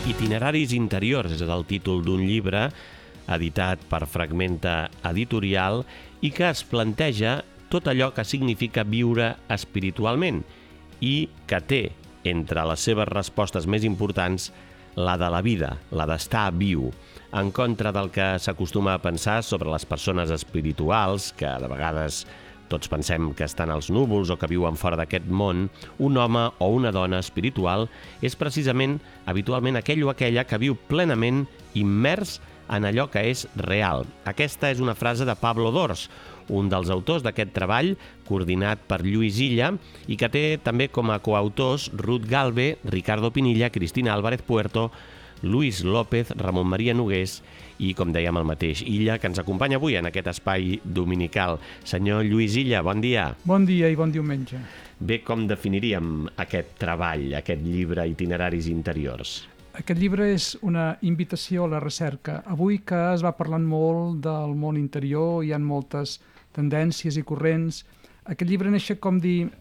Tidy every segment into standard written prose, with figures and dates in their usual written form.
Itineraris interiors és el títol d'un llibre editat per Fragmenta Editorial i que es planteja tot allò que significa viure espiritualment i que té entre les seves respostes més importants la de la vida, la d'estar viu, en contra del que s'acostuma a pensar sobre les persones espirituals, que de vegades tots pensem que estan als núvols o que viuen fora d'aquest món. Un home o una dona espiritual és precisament habitualment aquell o aquella que viu plenament immers en allò que és real. Aquesta és una frase de Pablo Dors, un dels autors d'aquest treball, coordinat per Lluís Illa, i que té també com a coautors Ruth Galve, Ricardo Pinilla, Cristina Álvarez Puerto, Luis López, Ramon Maria Nogués i, com dèiem, el mateix Illa, que ens acompanya avui en aquest espai dominical. Senyor Lluís Illa, bon dia. Bon dia i bon diumenge. Bé, com definiríem aquest treball, aquest llibre Itineraris interiors? Aquest llibre és una invitació a la recerca. Avui que es va parlant molt del món interior, hi ha moltes tendències i corrents. Aquest llibre neix com dir...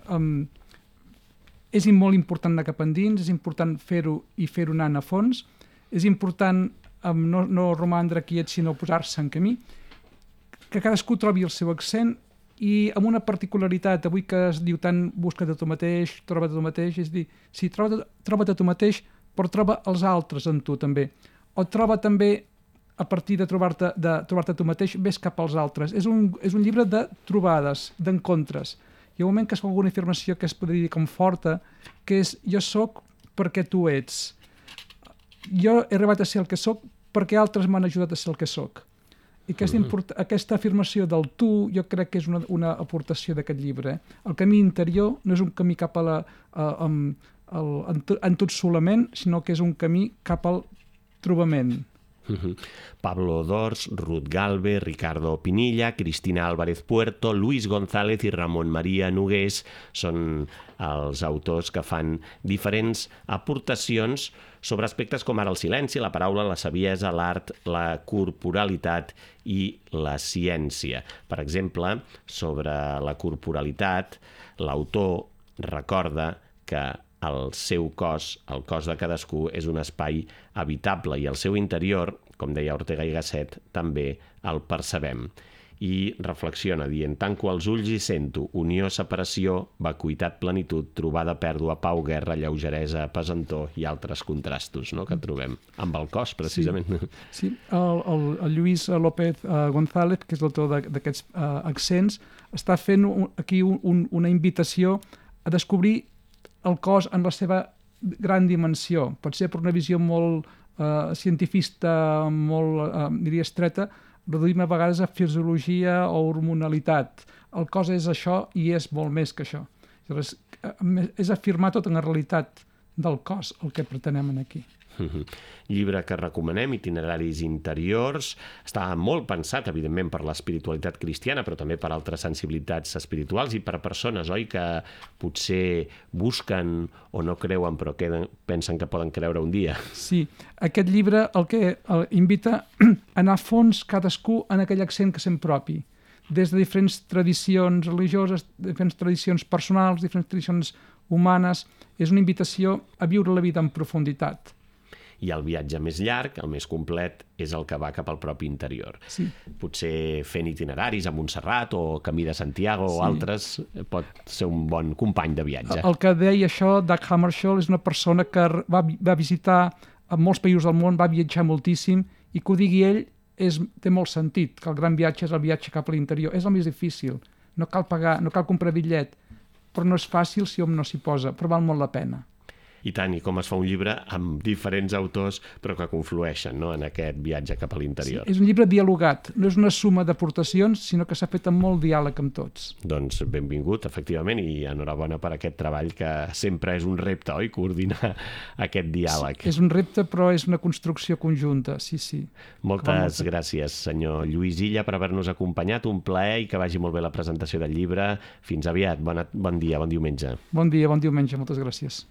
és molt important anar cap endins, és important fer-ho i fer-ho anant a fons, és important no romandre quiet, sinó posar-se en camí, que cadascú trobi el seu accent i amb una particularitat, avui que es diu tant busca't a tu mateix, troba't a tu mateix, és dir, sí, troba't a tu mateix, però troba els altres en tu també. O troba també, a partir de trobar-te a tu mateix, ves cap als altres. És un llibre de trobades, d'encontres. Hi ha un moment que es fa alguna afirmació que es podria dir com forta, que és jo sóc perquè tu ets. Jo he arribat a ser el que sóc perquè altres m'han ajudat a ser el que sóc. I aquesta afirmació del tu jo crec que és una aportació d'aquest llibre. El camí interior no és un camí cap a en tot solament, sinó que és un camí cap al trobament. Pablo Dors, Ruth Galve, Ricardo Pinilla, Cristina Álvarez Puerto, Luis González i Ramon Maria Nogués són els autors que fan diferents aportacions sobre aspectes com ara el silenci, la paraula, la saviesa, l'art, la corporalitat i la ciència. Per exemple, sobre la corporalitat, l'autor recorda que el seu cos, el cos de cadascú, és un espai habitable i el seu interior, com deia Ortega i Gasset, també el percebem. I reflexiona dient, tanco els ulls i sento unió, separació, vacuïtat, plenitud, trobada, pèrdua, pau, guerra, lleugeresa, pesantor i altres contrastos, no?, que trobem amb el cos, precisament. Sí. El Lluís López González, que és l'autor d'aquests accents, està fent aquí una invitació a descobrir el cos en la seva gran dimensió. Pot ser per una visió molt cientifista, molt, diria, estreta, reduïm a vegades a fisiologia o hormonalitat. El cos és això i és molt més que això. Llavors, és afirmar tota la realitat del cos, el que pretenem aquí. Llibre que recomanem, Itineraris interiors. Està molt pensat, evidentment, per l'espiritualitat cristiana, però també per altres sensibilitats espirituals i per persones, oi, que potser busquen o no creuen, però pensen que poden creure un dia. Sí, aquest llibre el que invita a anar a fons cadascú en aquell accent que sent propi, des de diferents tradicions religioses, diferents tradicions personals, diferents tradicions humanes. És una invitació a viure la vida en profunditat. I el viatge més llarg, el més complet, és el que va cap al propi interior. Sí. Potser fent itineraris a Montserrat o Camí de Santiago o altres pot ser un bon company de viatge. El que deia això, Dag Hammarskjöld, és una persona que va visitar a molts països del món, va viatjar moltíssim, i que ho digui ell té molt sentit, que el gran viatge és el viatge cap a l'interior. És el més difícil. No cal pagar, no cal comprar bitllet, però no és fàcil si hom no s'hi posa, però val molt la pena. I tant, i com es fa un llibre amb diferents autors, però que conflueixen, no?, en aquest viatge cap a l'interior. Sí, és un llibre dialogat, no és una suma d'aportacions, sinó que s'ha fet amb molt diàleg amb tots. Doncs benvingut, efectivament, i enhorabona per aquest treball, que sempre és un repte, oi?, coordinar aquest diàleg. Sí, és un repte, però és una construcció conjunta, sí. Moltes gràcies, senyor Lluís Illa, per haver-nos acompanyat, un plaer i que vagi molt bé la presentació del llibre. Fins aviat, bon dia, bon diumenge. Bon dia, bon diumenge, moltes gràcies.